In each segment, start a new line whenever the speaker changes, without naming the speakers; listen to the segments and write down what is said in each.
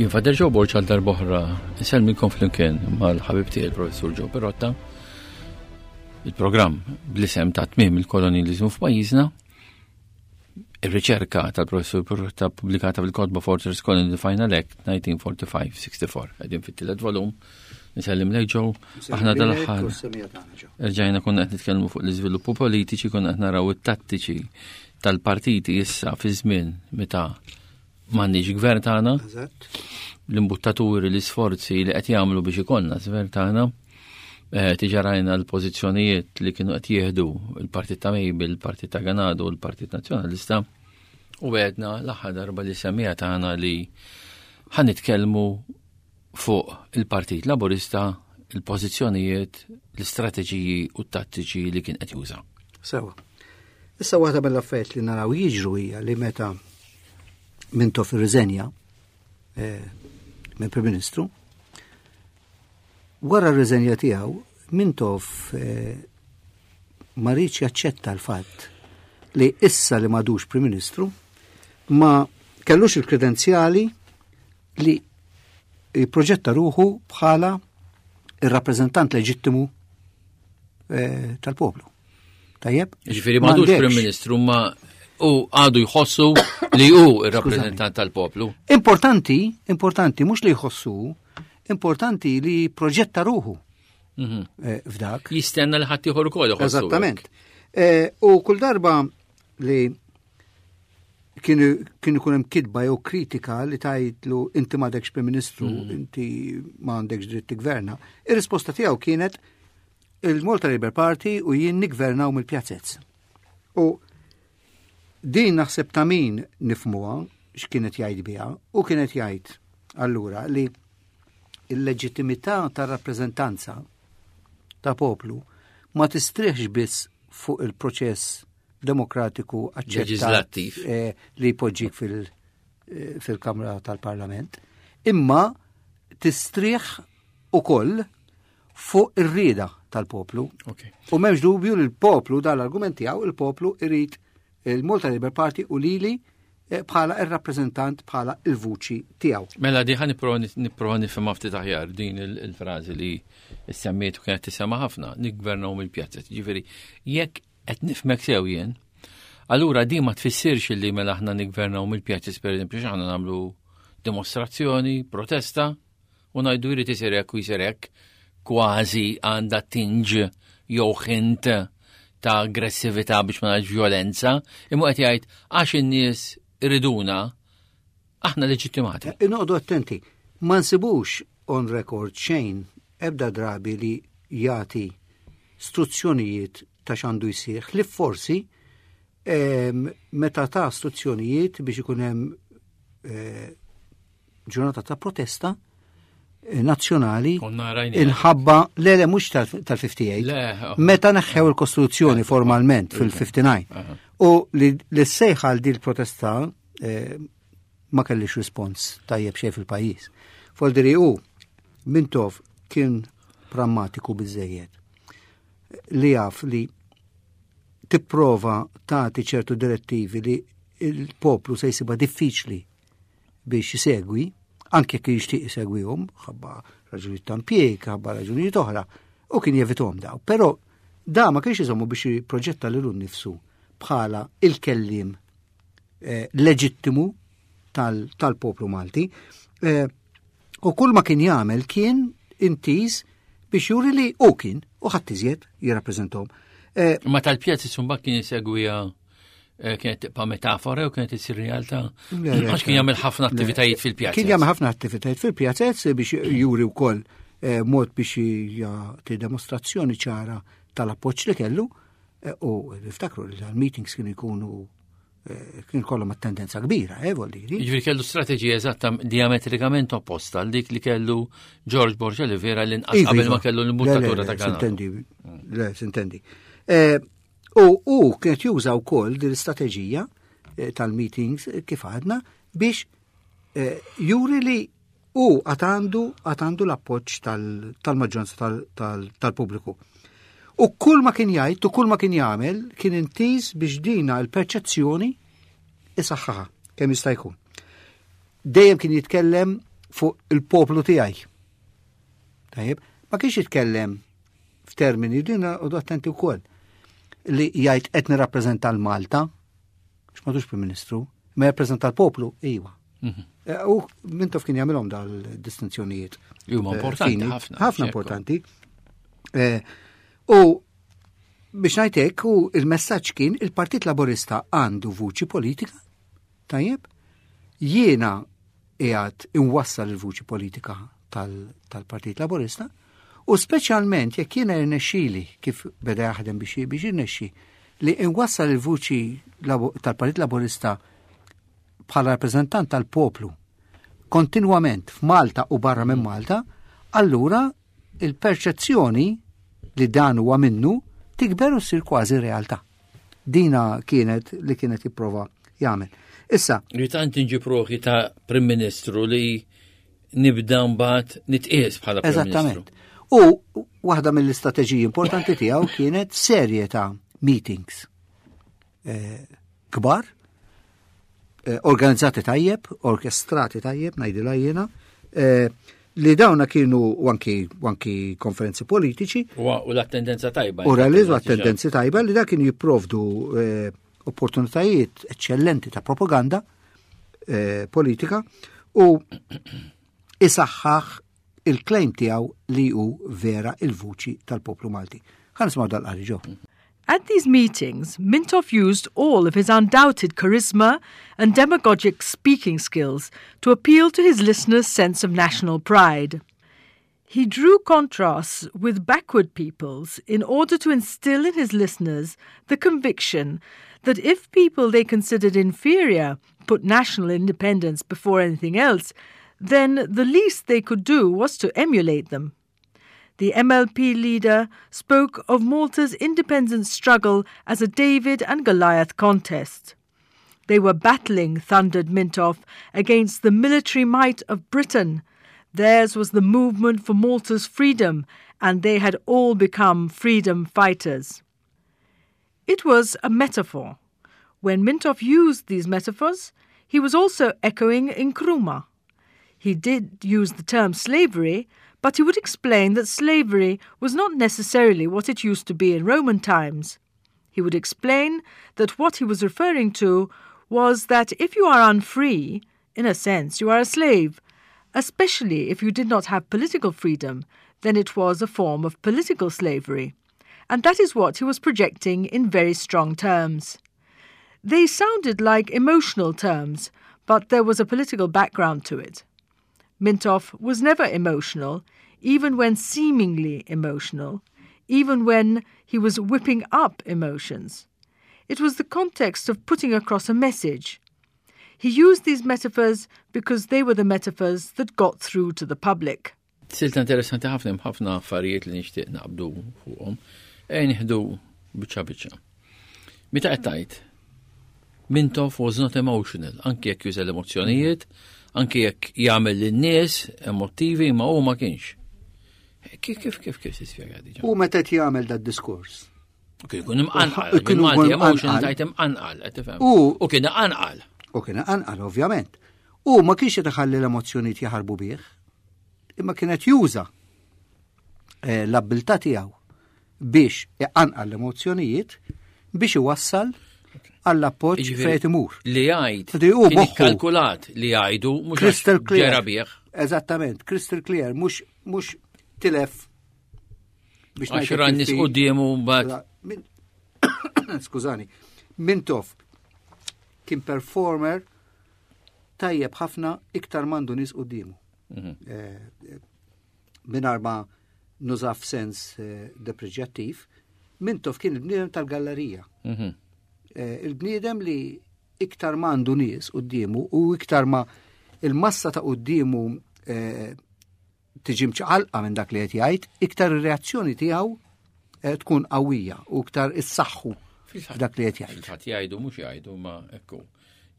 Jien Fader Joe Borg għal darb'oħra insellmikom flimkien mal-ħabib tiegħi il-Professur Joe Perotta. Il-programm bl-isem ta' tmiem il-kolonializmu f'pajjiżna. Ir-riċerka tal-Professur Perotta pubblikata fil-kotba Fortress Colony The Final Act 1945-64. Qegħdin fit-tielet volum. Nsellim lejk Joe. Aħna dal-aħħar. Erġajna konna qed nitkellmu fuq l-iżviluppu politiċi, konna qed naraw it-tattiċi tal-partiti issa fi żmien meta m'għandniex gvern tagħna. L-imbuttaturi, l-isforzi li qed jagħmlu biex ikollna gvern tagħna. Eh, tiġa rajna l-pożizzjonijiet li kienu qed jieħdu il-Partit ta' Mejbil, il-Partit ta' Ganado, il-Partit Nazzjonalista. U għedna l-aħħar darba li semmija tagħna li ħan nitkellmu fuq il-Partit Laburista, il-pożizzjonijiet, l-istrateġiji u t-tattiċi li kien qed juża.
Sewa. Issa waħda mill-affarijiet li naraw jiġru hija li meta Mintoff irriżenja eh, minn Prim Ministru, wara r-riżenja tiegħu Mintoff eh, ma rridx jaċċetta l-fatt li issa li madux Prim Ministru ma kellux il-kredenzjali li jipproġetta ruħu bħala il-rappreżentant leġittimu eh, tal-poplu. Tajjeb?
Ġifieri m'għadux Prim Ministru ma u għadu jħossu li hu il-rappreżentant tal-poplu.
Importanti, importanti, mhux li jħossu, importanti li proġetta ruħu mhm. eh, f'dak.
Jistenna li ħadd ieħor ukoll
Eżattament. Eh, u kull darba li kienu kien ikun hemm kitba jew kritika li tgħidlu inti m'għadekx Prim Ministru, mm. inti m'għandekx dritt tigverna. Ir-risposta tiegħu kienet il-Malta Labour Party u jien nigvernaw mill-pjazzezz. U din naħseb ta' min nifmuha x'kienet jgħid biha u kienet jgħid allura li il-leġittimità tar-rappreżentanza ta' poplu ma tistrieħx biss fuq il-proċess demokratiku
aċċettat
eh, li jpoġġik eh, fil-Kamra tal-Parlament, imma tistrieħ ukoll fuq ir-rieda tal-poplu. U m'hemmx dubju li l-poplu dal-argument tiegħu il-poplu irid il-Malta Labour Party u lili eh, bħala il-rappreżentant bħala il-vuċi tiegħu.
Mela di ħan nipprova nifhimha ftit aħjar din il-frażi li semmiet u kienet tisema' ħafna, niggvernaw mill-pjazzet. Ġifieri, jekk Qed nifhmek sew jien. Allura din ma tfissirx li mela aħna niggvernaw mill-pjazzi pereżempju x'aħna nagħmlu dimostrazzjoni, protesta u ngħidu jrid isir hekk u jsir hekk kważi għandha tinġ jew ħint ta' aggressività biex ma ngħidx violenza, imma qed jgħid għax in-nies iriduna aħna leġittimati.
Eh, Noqogħdu attenti, ma nsibux on record xejn ebda drabi li jagħti struzzjonijiet ta' x'għandu jsir, li forsi ehm, meta ta' struzzjonijiet biex ikun hemm eh, ġurnata ta' protesta eh, nazzjonali inħabba le le mhux tal-58 oh. meta neħħew il-Kostituzzjoni formalment fil-59 u li s-sejħa għal din il-protesta eh, ma kellix rispons tajjeb xejn fil-pajjiż. Foldiri u Mintoff kien prammatiku biżejjed li jaf li tipprova tagħti ċertu direttivi li il-poplu se jsibha diffiċli biex jisegwi, anke jekk jixtieq isegwihom, ħabba raġunijiet ta' impjieg, ħabba raġunijiet oħra, u kien jevithom daw. Però da ma kienx iżommu biex jipproġetta lilu nnifsu bħala il-kellim eh, leġittimu tal-poplu Malti. Eh, u kull ma kien jagħmel kien intiż biex juri li u kien u ħadd iżjed jirrappreżentahom.
Eh, ma tal-pjazzi sumba kien jisegwija eh, kienet tibqa' metafora u kienet isir realtà. Għax kien jagħmel ħafna attivitajiet fil-pjazza.
Kien jagħmel ħafna attivitajiet fil-pjazez biex juri wkoll eh, mod biex jagħti demostrazzjoni ċara tal-appoġġ li kellu u niftakru li tal-meetings kienu jkunu Eh, kien kollhom attendenza kbira, eh, vol diri.
Jiġifieri kellu strateġija eżatta diametrikament opposta għal dik li kellu George Borgia li vera l-inqas iva, qabel ma iva. kellu l-imbuttatura ta'
kanal. Sintendi, le, sintendi. Eh, u u kienet juża wkoll din l-istrateġija eh, tal-meetings kif għadna biex juri li U għad għandu għad għandu l-appoġġ tal-maġġoranza tal-pubbliku. U kull ma kien jgħid u kull ma kien jagħmel kien intiż biex dina l-perċezzjoni isaħħaħa kemm jista' jkun. Dejjem kien jitkellem fuq il-poplu tiegħi. Tajjeb, ma kienx jitkellem f'termini din u attenti wkoll li jgħid qed nirrappreżenta l-Malta, x'madux Prim Ministru, ma jirrappreżenta l-poplu, iva. Eh, u Mintoff kien jagħmilhom dal-distinzjonijiet.
Huma eh, importanti ħafna.
Ħafna importanti. Eh, u biex ngħidlek u il-messaġġ kien il-Partit Laburista għandu vuċi politika, tajjeb, jiena qiegħed inwassal il-vuċi politika tal-Partit Laburista u speċjalment jekk jiena irnexxili kif beda jaħdem biex biex irnexxi li inwassal il-vuċi tal-Partit Laburista bħala rappreżentant tal-poplu kontinwament f'Malta u barra minn Malta, allura il-perċezzjoni li dan huwa minnu tikber u ssir kważi realtà. Dina kienet li kienet jipprova jagħmel. Issa.
Li tant inġib ruħi ta' Prim Ministru li nibda mbagħad nitqies bħala Prim
Eżattament. U waħda mill-istrateġiji importanti tiegħu kienet serje ta' meetings eh, kbar, eh, organizzati tajjeb, orkestrati tajjeb, ngħidilha jiena, eh, li dawna kienu anki, anki konferenzi politiċi.
U l-attendenza tajba.
U realizzu attendenzi tajba li da kienu jipprovdu eh, opportunitajiet eccellenti ta' propaganda eh, politika u isaħħaħ il-claim tiegħu li hu vera il-vuċi tal-poplu Malti. Ħa nisimgħu dal-qari ġo.
At these meetings, Mintoff used all of his undoubted charisma and demagogic speaking skills to appeal to his listeners' sense of national pride. He drew contrasts with backward peoples in order to instill in his listeners the conviction that if people they considered inferior put national independence before anything else, then the least they could do was to emulate them. The MLP leader spoke of Malta's independence struggle as a David and Goliath contest. They were battling, thundered Mintoff, against the military might of Britain. Theirs was the movement for Malta's freedom, and they had all become freedom fighters. It was a metaphor. When Mintoff used these metaphors, he was also echoing Nkrumah. He did use the term slavery, but he would explain that slavery was not necessarily what it used to be in Roman times. He would explain that what he was referring to was that if you are unfree, in a sense you are a slave, especially if you did not have political freedom, then it was a form of political slavery. And that is what he was projecting in very strong terms. They sounded like emotional terms, but there was a political background to it. Mintoff was never emotional, even when seemingly emotional, even when he was whipping up emotions. It was the context of putting across a message. He used these metaphors because they were the metaphors that got through to the public.
Silta interessanti ħafna hemm ħafna affarijiet li nixtieq naqbdu fuqhom. Ejn nieħdu biċċa biċċa. Meta qed tgħid Mintoff was not emotional, anki jekk juża l-emozzjonijiet, anki jekk jagħmel lin-nies emotivi, ma hu ma kienx. Kif kif kif kif tispjega diġà?
U meta qed jagħmel dad diskors.
Kien ikun imqanqal, kien Malti emotional tajt imqanqal, qed tifhem. U kien iqanqal.
U kien iqanqal, ovvjament. U ma kienx qed iħalli l-emozzjonijiet jaħarbu bih, imma kien qed juża eh, l-abbiltà tiegħu biex iqanqal l-emozzjonijiet biex iwassal għall-appoġġ fejn imur.
Li jgħid. Hu moħħu kalkulat li jgħidu mhux
crystal clear.
Bih.
Eżattament, crystal clear, mhux mhux tilef
biex ngħid. Għax nies quddiemu mbagħad.
Skużani. Mintoff kien performer tajjeb ħafna iktar mandu nies quddiemu. Eh, mingħajr ma nuża f'sens eh, depreġjattiv, Mintoff kien il-bniedem tal-gallerija. Eh, il-bniedem li iktar ma għandu nies quddiemu u iktar ma il-massa ta' quddiemu eh, tiġi mċaqalqa minn dak li qed jgħid, iktar ir-reazzjoni tiegħu tkun qawwija u iktar issaħħu f'dak li qed jgħid.
Fil-fatt jgħidu mhux jgħidu ma ekku.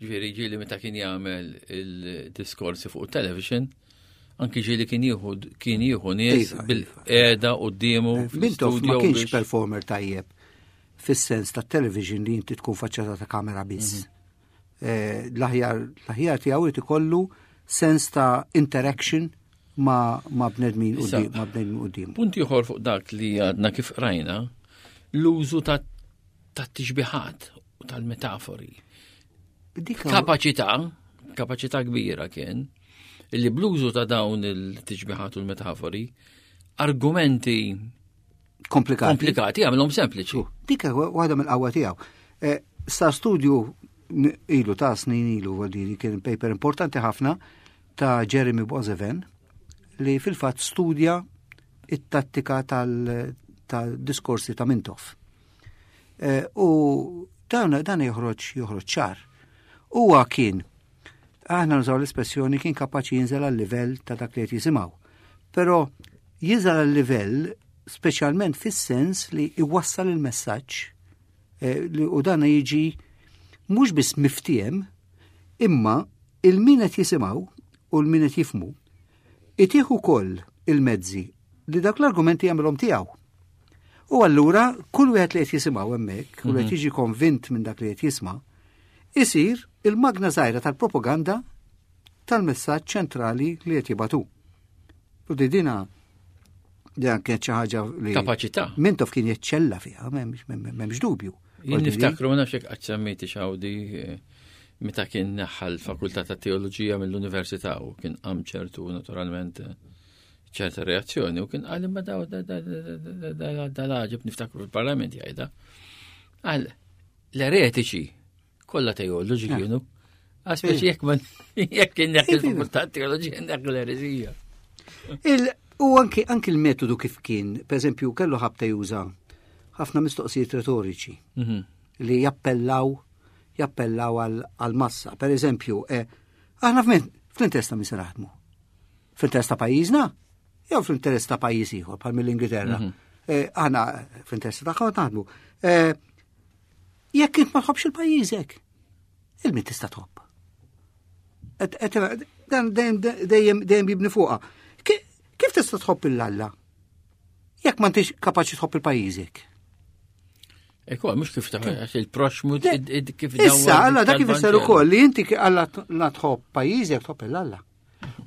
Ġifieri ġieli meta kien jagħmel il-diskorsi fuq television, anki ġieli kien jieħu kien jieħu nies iva, bil-qiegħda quddiemu.
Eh, Mintoff ma kienx performer tajjeb fis-sens ta' television li inti tkun faċċata ta' kamera biss. Eh, l-aħjar l-aħjar tiegħu irid ikollu sens ta' interaction ma, ma bnedmin u ma bnedmin quddiem.
Punt ieħor fuq dak li għadna kif rajna, l-użu ta' tixbiħat u tal-metafori. Kapaċità, kapaċità kbira kien, li bl-użu ta' dawn il-tixbiħat u l-metafori, argumenti
komplikati,
komplikati għamilhom sempliċi.
Dik waħda mill-qawwa tiegħu. Eh, sa studju ilu ta' snin ilu għaldiri kien paper importanti ħafna ta' Jeremy Bozeven li fil-fatt studja it-tattika tal-diskorsi ta' Mintoff. Eh, u dan dan joħroġ joħroġ ċar. Huwa kien aħna nużaw l-espressjoni kien kapaċi jinżel għal livell ta' dak li qed jisimgħu. Però jinżel għal livell speċjalment fis-sens li iwassal il-messaġġ eh, u dan jiġi mhux biss miftiem imma il-min qed jisimgħu u l-min qed jifmu itih ukoll il-mezzi li dak l-argumenti jagħmilhom tiegħu. U allura kull wieħed li qed jisimgħu hemmhekk, u li qed mhm. jiġi konvint minn dak li qed jisma', isir il-magna żgħira tal-propaganda tal-messaġġ ċentrali li qed jibatu. U di dina dan kienet xi ħaġa li
kapaċità.
Mintoff kien jeċċella fiha, m'hemmx dubju.
Jien niftakru ma nafx hekk qatt semmejti xawdi eh, meta kien neħħa l-Fakultà ta' Teoloġija mill-Università u kien qam ċertu naturalment eh, ċerta reazzjoni u kien qal imma daw dal-ħaġib niftakru fil-parlament jgħidha. Qal l-eretiċi kollha teoloġi eh. kienu. Għaspeċi jekk ma jekk kien dak il-fakultà teoloġija dak l-ereżija.
U anki anki l-metodu kif kien, per eżempju, kellu ħabta juża ħafna mistoqsijiet retoriċi mhm. li jappellaw jappellaw għal-massa. Per eżempju, eh, aħna fl-interess ta' min se naħdmu. Fl-interess ta' pajjiżna jew fl-interess ta' pajjiż ieħor bħal mill-Ingilterra. Mhm. Eh, aħna fl-interess ta' naħdmu. Eh, jekk int ma tħobbx il-pajjiżek, il-min tista' tħobb. Dan dejjem dejjem jibni fuqha. Kif tista' tħobb il-Alla? Jekk ma intix kapaċi tħobb il-pajjiżek.
Ekku, mux kif taħ, il-proxmu
kif Issa, alla dak kif isser ukoll li inti alla la tħobb pajjiżek tħobb il-Alla.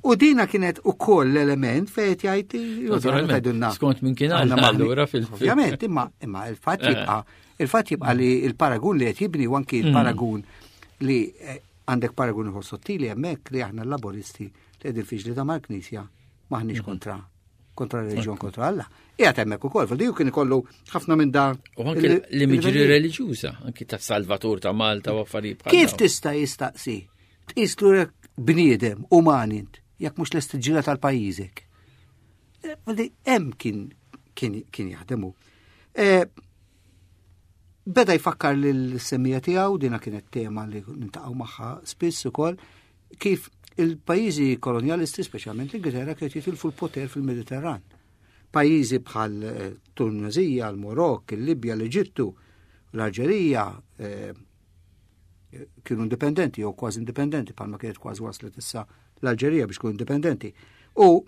U dina kienet ukoll l-element fejn qed
jgħid Skont minn kien allura
fil Ovvjament, imma imma il-fatt eh. jibqa' il-fatt jibqa' li l-paragun li qed jibni u anki l-paragun mm. li eh, għandek paragun ieħor sottili hemmhekk li aħna l-laboristi li qegħdin fiġli ta' mal-Knisja maħniex mm. kontra kontra reliġjon kontra Alla. Qiegħed hemmhekk ukoll, fil kien ikollu ħafna minn da.
U anke l-imġri reliġjuża, anki ta' Salvatur ta' Malta u affarijiet
Kif tista' jistaqsi? Tqis lurek bniedem, uman int, jekk mhux lest tiġġieled għal pajjiżek. Eh, hemm kien kien kien jaħdem hu. Eh, beda jfakkar lill-semmija tiegħu, dina kienet tema li nintaqgħu magħha spiss ukoll, kif il-pajjiżi kolonjalisti, speċjalment l-Ingilterra, kienet jitilfu l-poter fil-Mediterran. Pajjiżi bħal eh, Tunezija, l-Marokk, il-Libja, l-Eġittu, l-Alġerija, kienu indipendenti jew kważi indipendenti bħalma kienet kważi waslet issa l-Alġerija biex tkun indipendenti. U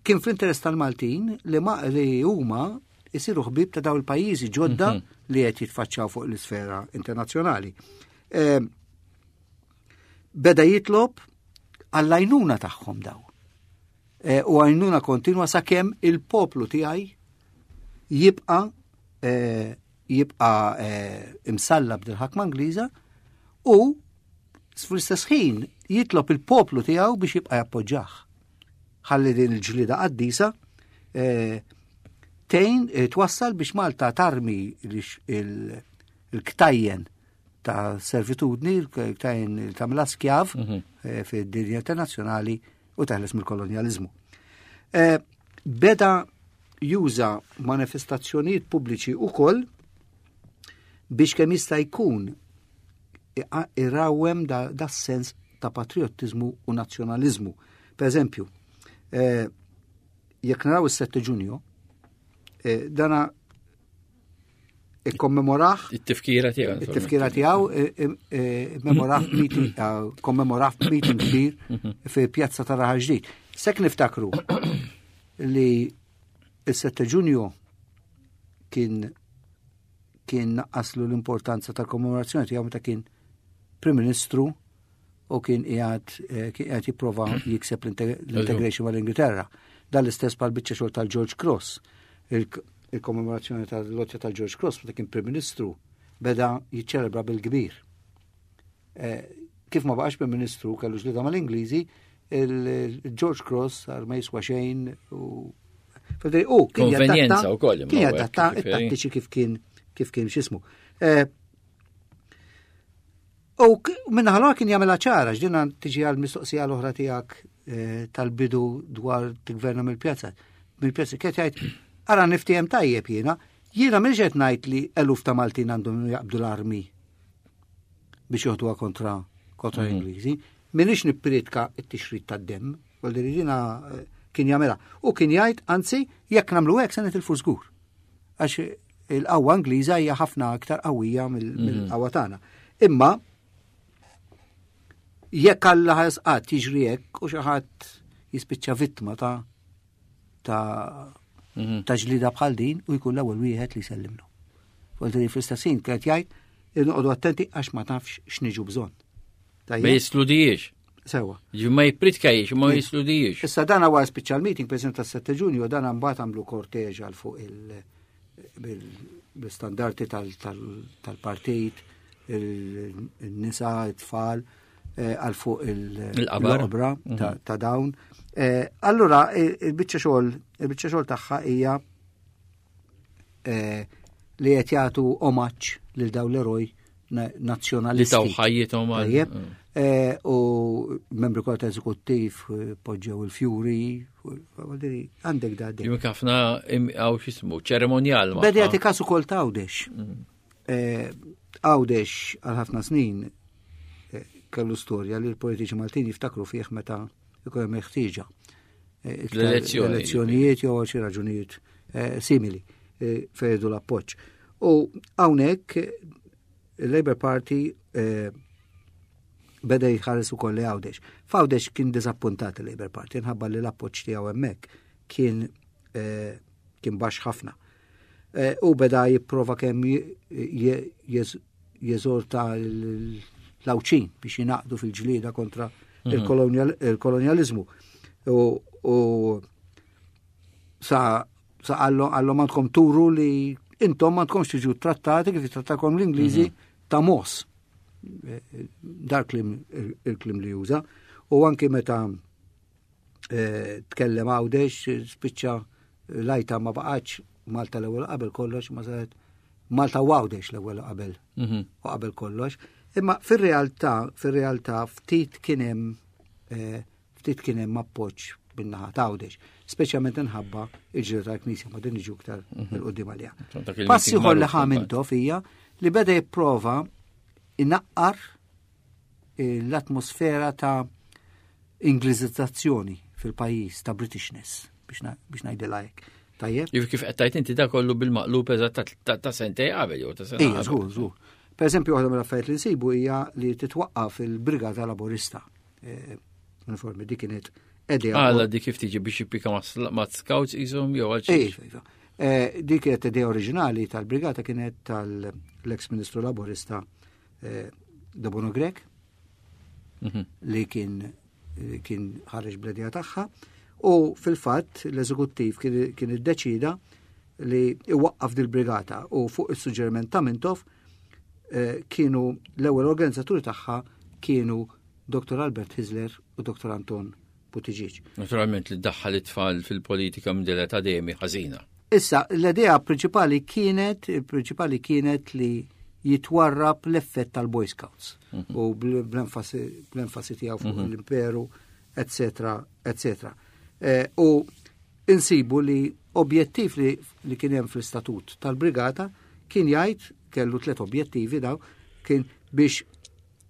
kien fl-interess tal-Maltin li ma li huma jisiru ħbib ta' daw il-pajjiżi ġodda mm -hmm. li qed jitfaċċaw fuq l-isfera internazzjonali. E, beda jitlob għall-għajnuna tagħhom daw. E, u għajnuna kontinwa sakemm il-poplu tiegħi jibqa' e, jibqa' eh, imsallab dil-ħakma Ingliża u fl-istess ħin jitlob il-poplu tiegħu biex jibqa' jappoġġah. Ħalli din il-ġlida qaddisa eh, tejn eh, twassal biex Malta tarmi il-ktajjen ta' servitudni, il-ktajjen ta' mela skjav mhm. fid-dinja internazzjonali u teħles mill-kolonjaliżmu. Eh, beda juża manifestazzjonijiet pubbliċi ukoll biex kemm jista' jkun irawwem da, da sens ta' patriottiżmu u nazzjonaliżmu. Per eżempju, eh, jekk naraw is-7 Ġunju, eh, dana ikkommemorah.
It-tifkira tiegħu.
It-tifkira tiegħu eh, eh, eh, memorah meeting, kommemorah meeting kbir mhm. fi pjazza ta' Raħal Ġdid. Sek niftakru li il-7 Ġunju kien kien naqqaslu l-importanza tal-kommemorazzjoni tiegħu meta kien Prim Ministru. u kien qiegħed eh, kien qiegħed jipprova jikseb l-integration mal-Ingilterra. Dan l-istess bħal biċċa xogħol tal-George Cross. Il-kommemorazzjoni tal-lotja tal-George Cross meta kien Prim Ministru beda jiċċelebra bil-kbir. Eh, kif ma baqax Prim Ministru kellu ġlida mal-Ingliżi, il-George Cross sar ma jiswa xejn u U
kien konvenjenza wkoll.
Kien jadatta it-tattiċi kif kien kif kien x'ismu. Eh, u minna ħalwa kien jagħmilha ċara x'dina tiġi għal mistoqsija l-oħra tiegħek eh, tal-bidu dwar tigverna mill-pjazza. Mill-pjazza kien jgħid ara niftiehem tajjeb jiena, jiena m'iniex qed ngħid li eluf ta' Maltin għandhom jaqbdu l-armi biex joħduha kontra kontra mhm. l-Ingliżi. Minix nippriedka t-tixrid tad-demm, għal dina eh, kien jagħmilha. U kien jgħid, anzi, jekk nagħmlu hekk se nitilfu żgur. Għax il-qawwa Ingliża hija ħafna aktar qawwija mhm. mill-qawwa tagħna. Imma jekk Alla ħasqat jiġri hekk u xi ħadd jispiċċa vittma ta' ta' mhm. ta' ġlida bħal din u jkun l-ewwel wieħed li jsellimlu. Volti fl-istess ħin kienet jgħid noqogħdu attenti għax ma tafx x'niġu bżonn.
Ma jisludijiex.
Sewa.
Ġi ma jipritkajiex, ma jisludijiex.
Issa dan għar spiċċa l-meeting, per esempio, tas-7 ġunju, dan mbagħad għamlu korteġ għal fuq il- bil-standarti tal-partit, il-nisa, it-tfal, eh, għal fuq il-qabra mhm. ta' dawn. Eh, allura, il-biċċa xogħol, il-biċċa xogħol tagħha hija eh, li qed jagħtu omaġġ lil dawn l-eroj nazzjonalisti.
Li taw ħajjithom
għal. Eh, u membri kollha ta' eżekuttiv eh, poġġew il-fjuri, għandek da.
Jum ħafna għaw xismu, ċeremonjal.
Bedi għati kasu kol ta' Għawdex. Mm. Eh, Għawdex għal ħafna snin kellu storja li l-politiċi Maltin jiftakru fih meta ikun hemm ħtieġa. L-elezzjonijiet jew għal xi raġunijiet simili fejdu l-appoġġ. U hawnhekk il-Labour Party eh, beda jħares ukoll li Għawdex. F'Għawdex kien diżappuntat il-Labour Party, nħabba li l-appoġġ tiegħu hemmhekk kien eh, kien baxx ħafna. Eh, u beda jipprova kemm jeżorta l-Għawdxin biex jinaqdu fil-ġlieda kontra mhm. il-kolonjalizmu. U sa Sa għallhom għandkom turu li intom għandkomx tiġu trattati kif jitrattakom l-Ingliżi mhm. ta' mos. Eh, dar klim il-klim li juża. U anki meta eh, tkellem għawdex, spiċċa lajta ma baqgħetx Malta l-ewwel qabel kollox, ma saret Malta u Għawdex l-ewwel qabel mhm. u qabel kollox. Imma fir-realtà, fir-realtà ftit kien hemm eh, Ftit kien hemm appoġġ min-naħa ta' Għawdex, speċjalment inħabba il-ġlieda tal-Knisja ma din niġu iktar mhm. il-qudiem għaliha. Pass ieħor li ħa Mintoff hija li beda jipprova inaqqar eh, l-atmosfera ta' Ingliżizzazzjoni fil-pajjiż ta' Britishness biex ngħidilha hekk.
Tajjeb. Jif kif qed tajt inti da kollu bil-maqlub eżatt ta' sentej qabel jew ta' sena.
Ija, żgur, żgur. Per eżempju, waħda mill-affarijiet li nsibu hija li titwaqqaf il-Brigata Laburista. Eh, uniformi dik kienet
idea. Għala dik kif tiġi biex jippika ma' scouts jisom jew għal
xi. Iva, iva. Eh, dik kienet idea oriġinali tal-brigata kienet tal-ex ministru laburista eh, Dobono Grek mhm. li kien kien ħareġ bl-idea tagħha u fil-fatt l-eżekuttiv kien iddeċida li iwaqqaf dil-brigata u fuq is-suġġeriment ta' Mintoff kienu l-ewwel organizzaturi tagħha kienu Dr. Albert Hyzler u Dr. Anton Buttigieg.
Naturalment li ddaħħal it-tfal fil-politika minn din l-età dejjem hi ħażina.
Issa, l-idea prinċipali kienet, il-prinċipali kienet li jitwarrab l-effett tal-Boy Scouts mhm. u bl-enfasi tiegħu fuq mhm. l-imperu, eccetera, eccetera. Eh, u insibu li objettiv li, li kien hemm fl-istatut tal-brigata kien jgħid kellu tliet objettivi daw kien biex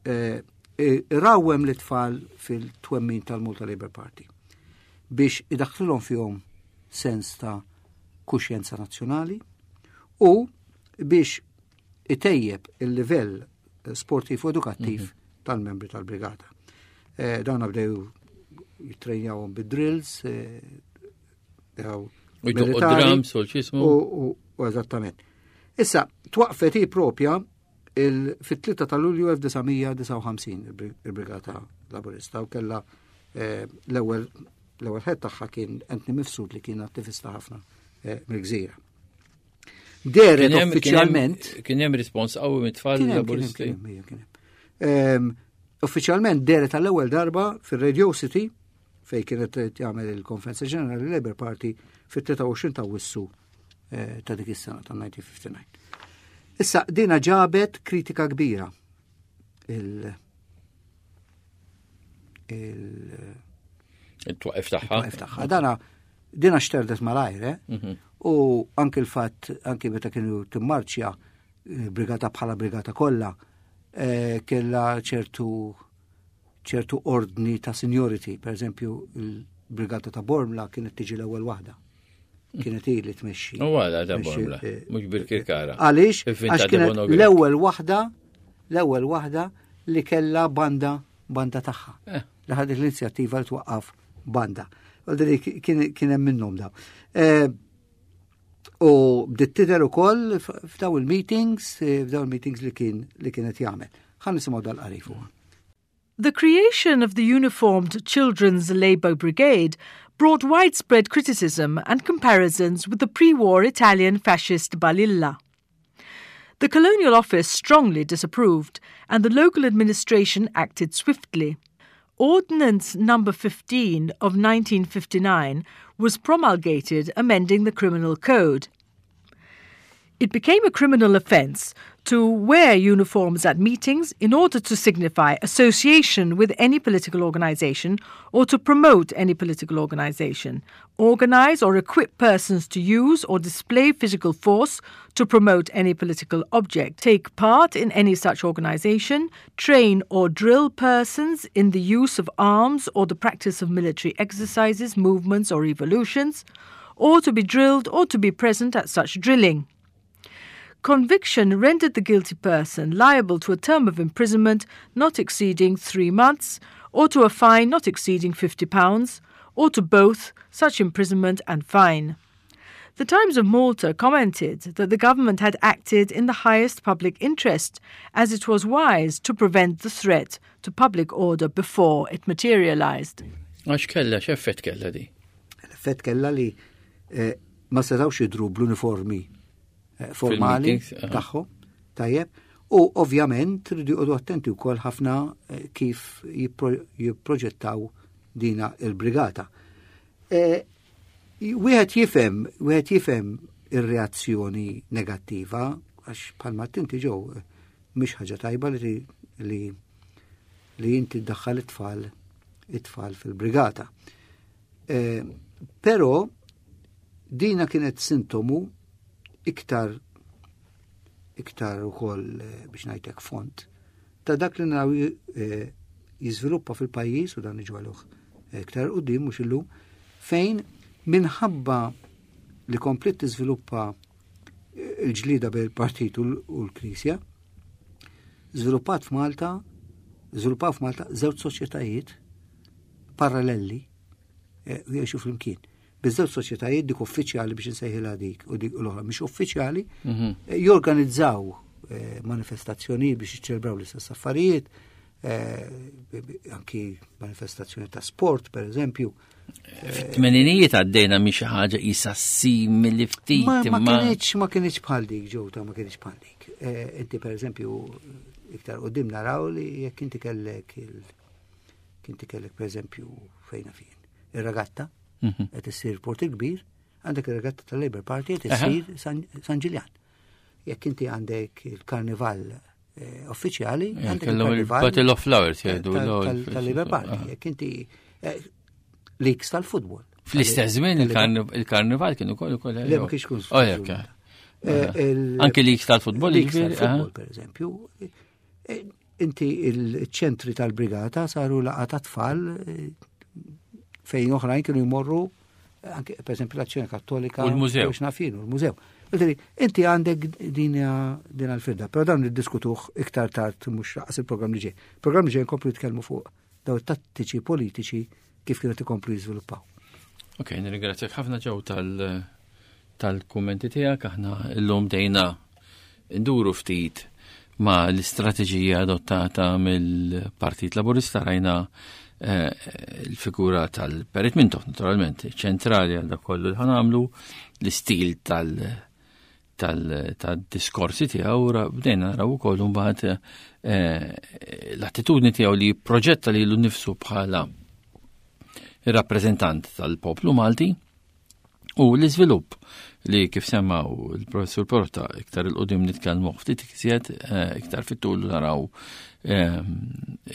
eh, irawwem l tfal fil-twemmin tal-Malta Labour Party biex idaħħlilhom fihom sens ta' kuxjenza nazzjonali u biex itejjeb il-livell sportiv u edukattiv mm -hmm. tal-membri tal-brigata. Eh, dawn bdew jittrejnjawhom bid-drills, eh,
u drums u x'ismu.
U eżattament. Issa, twaqfet hi propja. fit-3 ta' Lulju 1959 il-Brigata Laburista u kellha eh, l-ewwel l-ewwel ħed tagħha kien Anthony Mifsud li kien attivista ħafna eh, mill-gżira. Deret uffiċjalment.
Kien hemm rispons qawwi mit-tfal Laburisti.
Ehm, uffiċjalment deret għall-ewwel darba fir-Radio City fej kienet jagħmel il-Konferenza Ġenerali Labour Party fit-23 ta' Wissu eh, ta' dik is-sena ta' 1959. Issa dina ġabet kritika kbira il
il il-twaqif tagħha.
Il-twaqif tagħha. Dana dina xterdet malajr, eh? Mhm. U anki l-fatt anki meta kienu timmarċja eh, brigata bħala brigata kollha eh, kella ċertu ċertu ordni ta' seniority, per eżempju il-brigata ta' Bormla kienet tiġi l-ewwel waħda. Kienet hi li tmexxi.
U għala ta' Bormla, mhux bil-Kirkara.
Għaliex? Għax kienet l-ewwel waħda, l-ewwel waħda li kellha banda banda tagħha. Eh. Li ħadet l-inizjattiva li twaqqaf banda. Għaldri kien hemm minnhom daw. Eh, u bdiet tidher ukoll f'daw il-meetings, eh, f'daw il-meetings li kien li kienet jagħmel. Ħa nisimgħu dal-qari fuqha.
The creation of the uniformed Children's Labour Brigade brought widespread criticism and comparisons with the pre-war Italian fascist Balilla. The Colonial Office strongly disapproved, and the local administration acted swiftly. Ordinance Number 15 of 1959 was promulgated amending the Criminal Code. It became a criminal offence to wear uniforms at meetings in order to signify association with any political organisation or to promote any political organisation, organise or equip persons to use or display physical force to promote any political object, take part in any such organisation, train or drill persons in the use of arms or the practice of military exercises, movements or evolutions, or to be drilled or to be present at such drilling. Conviction rendered the guilty person liable to a term of imprisonment not exceeding three months, or to a fine not exceeding £50, or to both such imprisonment and fine. The Times of Malta commented that the government had acted in the highest public interest, as it was wise to prevent the threat to public order before it materialized.
Għax kella, x'effett kella di?
L-effett kella li eh, ma setawx jidru bl-uniformi eh, formali tagħhom, tajjeb, u ovvjament rridu jqogħdu attenti wkoll ħafna eh, kif jipproġettaw dina il-brigata. Wieħed jifhem, wieħed jifhem ir-reazzjoni negattiva għax bħalma tinti ġew mhix ħaġa tajba li li li inti ddaħħal it-tfal it-tfal fil-brigata. Eh, però dina kienet sintomu iktar iktar ukoll eh, biex ngħidlek font ta' dak li naraw eh, jiżviluppa fil-pajjiż u dan iġwaluh iktar qudiem mhux illum fejn minħabba li komplet tiżviluppa il-ġlida bejn il-partit u l-Knisja, żviluppat f'Malta, żviluppaw f'Malta żewġ soċjetajiet parallelli eh, u jgħixu flimkien. Biż-żewġ soċjetajiet dik uffiċjali biex insejħilha dik u dik l-oħra mhix uffiċjali, mhm. eh, jorganizzaw eh, manifestazzjonijiet biex jiċċelebraw l-istess affarijiet, anki manifestazzjoni ta' sport, per eżempju.
Fit-tmeninijiet għaddejna minn xi ħaġa qisha simili ftit.
Ma kienx ma kienx bħal dik ġewta ma kienx bħal dik. Eh, inti per eżempju iktar qudiem naraw li jekk inti kellek il inti kellek per eżempju fejna fien ir-regatta mhm. qed issir Port il-Kbir, għandek ir-regatta tal-Labour Party qed issir San Ġiljan. Jekk inti għandek il-karnival eh, uffiċjali.
Eh, kellhom il-Battle of Flowers
eh, jgħidu. Tal-Labour Party, ah. jekk inti leaks tal-futbol.
Fl-istess żmien il-karnival kienu ukoll ukoll.
Le ma kienx kun.
Oh, Anki leaks tal-futbol.
Leaks tal-futbol, per eżempju. Inti il-ċentri tal-brigata saru laqa ta' tfal fejn oħrajn kienu jmorru anke per esempio l-Azzjoni Kattolika
u l-mużew.
Nafin, u l-mużew. Inti għandek din din għal-firda, però dan niddiskutuh iktar tard mhux raqas il-programm li ġej. Il-programm li ġej nkomplu nitkellmu fuq daw tattiċi politiċi kif kienu tikomplu jiżviluppaw.
Ok, nirringrazzjak ħafna ġew tal- tal-kummenti tiegħek aħna llum dejna nduru ftit ma l-istrateġija adottata mill-Partit Laburista rajna eh, l-figura tal-Perit Mintoff, naturalment, ċentrali għal dak kollu li ħanamlu, l-istil tal- tal-diskorsi tiegħu bdejna naraw ukoll imbagħad eh, l-attitudni tiegħu li proġetta lilu nnifsu bħala ir-rappreżentant tal-poplu Malti u l-iżvilupp li kif semmaw il-professur Porta iktar il-qudiem nitkellmu ftit iżjed eh, iktar fit-tul naraw eh,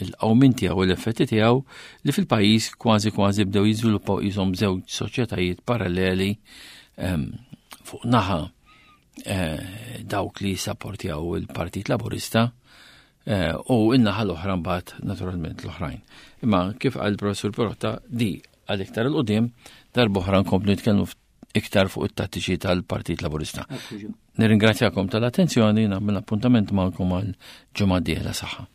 il-qawmin tiegħu u l-effetti tiegħu li fil-pajjiż kważi kważi bdew jiżviluppaw qishom żewġ soċjetajiet paralleli ehm, fuq naħa eh, dawk li jissapportjaw il-Partit Laburista eh, u in-naħa l-oħra mbagħad naturalment l-oħrajn. Imma kif qal il-professur Perotta di għal iktar il-qudiem darb'oħra nkomplu nitkellmu iktar fuq it-tattiċi tal-Partit Laburista. Nirringrazzjakom tal-attenzjoni, nagħmel appuntament magħkom għal ġimgħa dieħla saħħa.